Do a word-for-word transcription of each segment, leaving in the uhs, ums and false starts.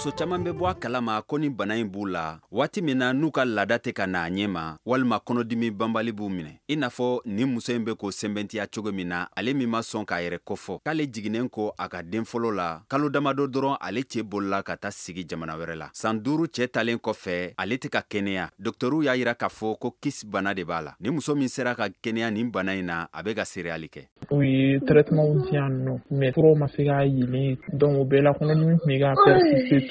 Muso caman bɛ bɔ a kalama ko ni bana in b'u la waati min na n'u ka laada tɛ ka na a ɲɛ ma, walima kɔnɔdimi banbali b'u minɛ, i n'a fɔ nin muso in bɛ k'o sɛmɛntiya cogo min na, ale min ma sɔn k'a yɛrɛ kofɔ, k'ale jiginnen ko a ka den fɔlɔ la kalo damadɔ dɔrɔn, ale cɛ bolila ka taa sigi jamana wɛrɛ la. San duuru cɛ talen kɔfɛ, ale tɛ ka kɛnɛya. Dɔgɔtɔrɔw y'a jira k'a fɔ ko kyste bana de b'a la. Ni muso min sera ka kɛnɛya nin bana in na, a bɛ ka seereyali kɛ. U ye traitement di yan nɔ, mais furaw ma se k'a yelen, donc o bɛɛ la kɔnɔdimi tun bɛ ka persister toujours.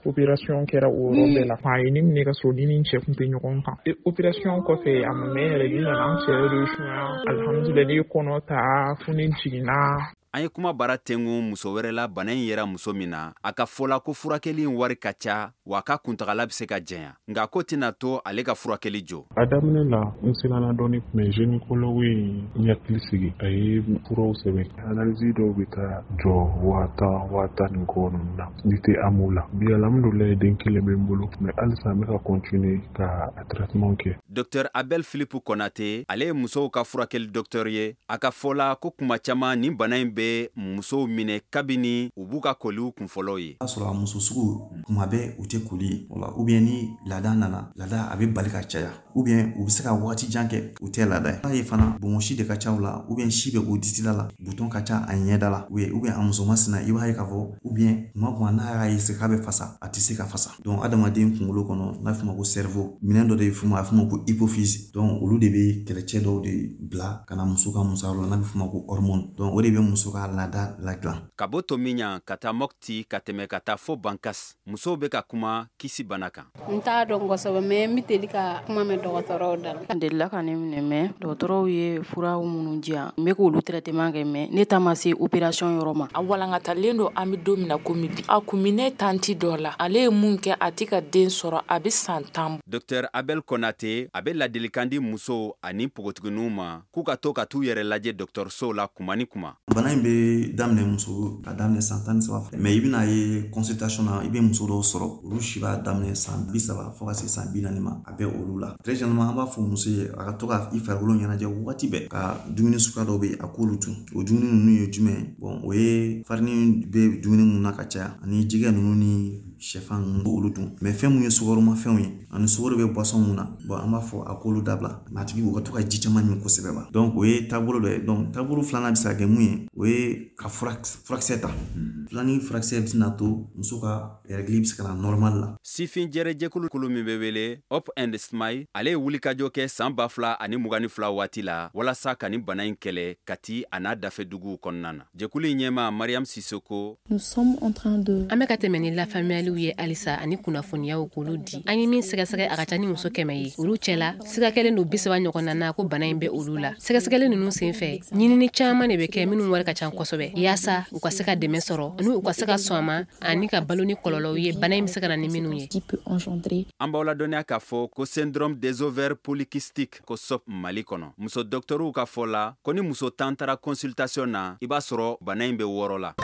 Opération kɛra o yɔrɔ bɛɛ la. A ye ne minɛ ka sɔrɔ ni ni cɛ tun tɛ ɲɔgɔn kan. Opération kɔfɛ, a ma mɛn yɛrɛ, ne nana n cɛ yɛrɛ sunya, alhamdulilayi, ne ye kɔnɔ ta fo ne jiginna. An ye kuma bara tengu muso wɛrɛ la, bana in yɛrɛ muso min na, a ka fɔ la ko furakɛli in wari ka ca, wa a ka kuntagala bɛ se ka janya, nka ko tɛna to ale ka furakɛli jɔ. A daminɛ la, n siranna dɔɔni, mais gynécologue ye n hakili sigi, a ye furaw sɛbɛn. Analyse dɔw bɛ taa jɔ waa tan, waa tan ni kɔ ninnu na, n'i tɛ AMO la. Bi, alhamdulilayi, den kelen bɛ n bolo, mais halisa n bɛ ka continuer ka a traitement kɛ. Docteur Abel Philippe Konate, ale ye musow ka furakɛli docteur ye. A ka fɔ la ko kuma caman nin bana in bɛ musow minɛ kabini u b'u ka koliw kunfɔlɔw ye. O y'a sɔrɔ a muso sugu kuma bɛɛ u tɛ koli ye o, ou bien ni laada nana, laada a bɛ bali ka caya, ou bien u bɛ se ka waati jan kɛ u tɛ laada ye. N'a ye fana bonbonsi de ka ca u la, ou bien si bɛ o disila la, bouton ka ca a ɲɛda la, ou bien a muso masina, i b'a ye k'a fɔ, ou bien kuma kuma n'a y'a essayer k'a bɛ fasa, a tɛ se ka fasa. Donc adamaden kunkolo kɔnɔ, n'a fɔ ma ko cerveau, minɛn dɔ de bɛ f'o ma, a bɛ f'o ma ko hypophyse. Donc olu de bɛ kɛlɛcɛ dɔw de bila ka na muso ka musoya la, n'a bɛ f'o ma ko hormone. Donc o de bɛ muso ka laada ladilan. Ka bɔ Tomiɲan ka taa Mopti, ka tɛmɛ ka taa fo Bankas, musow bɛ ka kuma kyste bana kan. N t'a dɔn kosɛbɛ, mais n bɛ deli ka kuma mɛn dɔgɔtɔrɔw da la. A delila ka ne minɛ, mais dɔgɔtɔrɔw ye furaw minnu di yan, n bɛ k'olu traitement kɛ, mais ne ta ma se opération yɔrɔ ma. A walankatalen don, an bɛ don min na komi bi. A kun bɛ ne tantie dɔ la, ale ye mun kɛ, a tɛ ka den sɔrɔ, a bɛ san tan. Docteur Abel Konate, a bɛ ladilikan di musow ani npogotigininw ma k'u ka to ka t'u yɛrɛ lajɛ dɔgɔtɔrɔsow la kuma ni kuma. Bana in bɛ daminɛ muso ka daminɛ san tan ni saba, mais i bɛna ye consultation na, i bɛ muso dɔw sɔrɔ, olu si b'a daminɛ san bi saba fo ka se san bi naani ma, a bɛ olu la. Très généralement, an b'a fɔ muso ye a ka to ka i farikolo ɲɛnajɛ wagati bɛɛ, ka dumuni suguya dɔw bɛ yen, a k'olu dun. O dumuni ninnu ye jumɛn ye? Bon, o ye farini bɛ dumuni mun na ka caya, ani jɛgɛ ninnu ni sɛfan ninnu, olu dun. Mais fɛn mun ye sukaromafɛnw ye ani sukaro bɛ boisson mun na, bon, an b'a fɔ a k'olu dabila. A tigi u ka to ka ji caman min kosɛbɛ ba. Donc o ye taabolo dɔ ye. Donc taabolo filanan bɛ se ka kɛ mun ye? O ye ka furakisɛ ta. Filanin furakisɛ bɛ na to muso ka règle bɛ se ka na normal la. Sifin jɛrɛjɛkulu kulu min bɛ wele Up and Smile, ale ye wulikajɔ kɛ san ba fila ani mugan ni fila waati la walasa ka nin bana in kɛlɛ Kati a n'a dafɛ duguw kɔnɔna na. Jɛkulu in ɲɛma, Mariam Sisoko. An bɛ ka tɛmɛ ni lafaamuyaliw ye halisa ani kunnafoniyaw k'olu di. An ye min sɛgɛsɛgɛ, a ka ca ni muso kɛmɛ ye. Olu cɛla, siga kɛlen don bi saba ɲɔgɔn na na ko bana in bɛ olu la. Sɛgɛsɛgɛli ninnu senfɛ, ɲinini caman de bɛ kɛ minnu wari ka ca kosɛbɛ, yaasa u ka se ka dɛmɛ sɔrɔ ani u ka se ka sɔn a ma ani ka balo ni kɔlɔlɔw ye, bana in bɛ se ka na ni minnu ye. An b'aw ladɔnniya k'a fɔ ko syndrome des ovaires polykystiques, ko S O P Mali kɔnɔ, muso dɔgɔtɔrɔw ka fɔ la ko ni muso tan taara consultation na, i b'a sɔrɔ bana in bɛ wɔɔrɔ la.